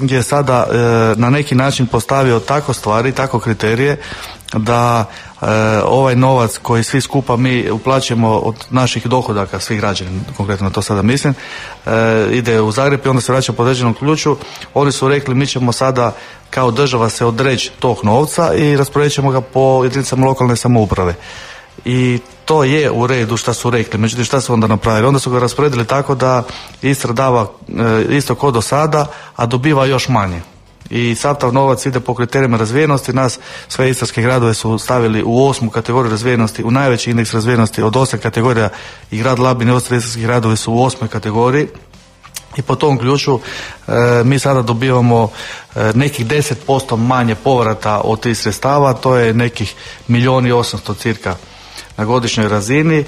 je sada na neki način postavio tako stvari, tako kriterije da ovaj novac koji svi skupa mi uplaćujemo od naših dohodaka, svih građana, konkretno to sada mislim, ide u Zagreb i onda se vraća po određenom ključu. Oni su rekli mi ćemo sada kao država se odreći tog novca i rasporedit ćemo ga po jedinicama lokalne samouprave. I to je u redu šta su rekli, međutim šta su onda napravili? Onda su ga rasporedili tako da Istra dava isto kao do sada, a dobiva još manje. I sav taj novac ide po kriterijima razvijenosti. Nas sve istarske gradove su stavili u 8. kategoriju razvijenosti, u najveći indeks razvijenosti od 8 kategorija, i grad Labin i ostali istarski gradovi su u 8. kategoriji. I po tom ključu mi sada dobivamo nekih 10% manje povrata od tih sredstava, to je nekih 1,8 milijuna cirka na godišnjoj razini.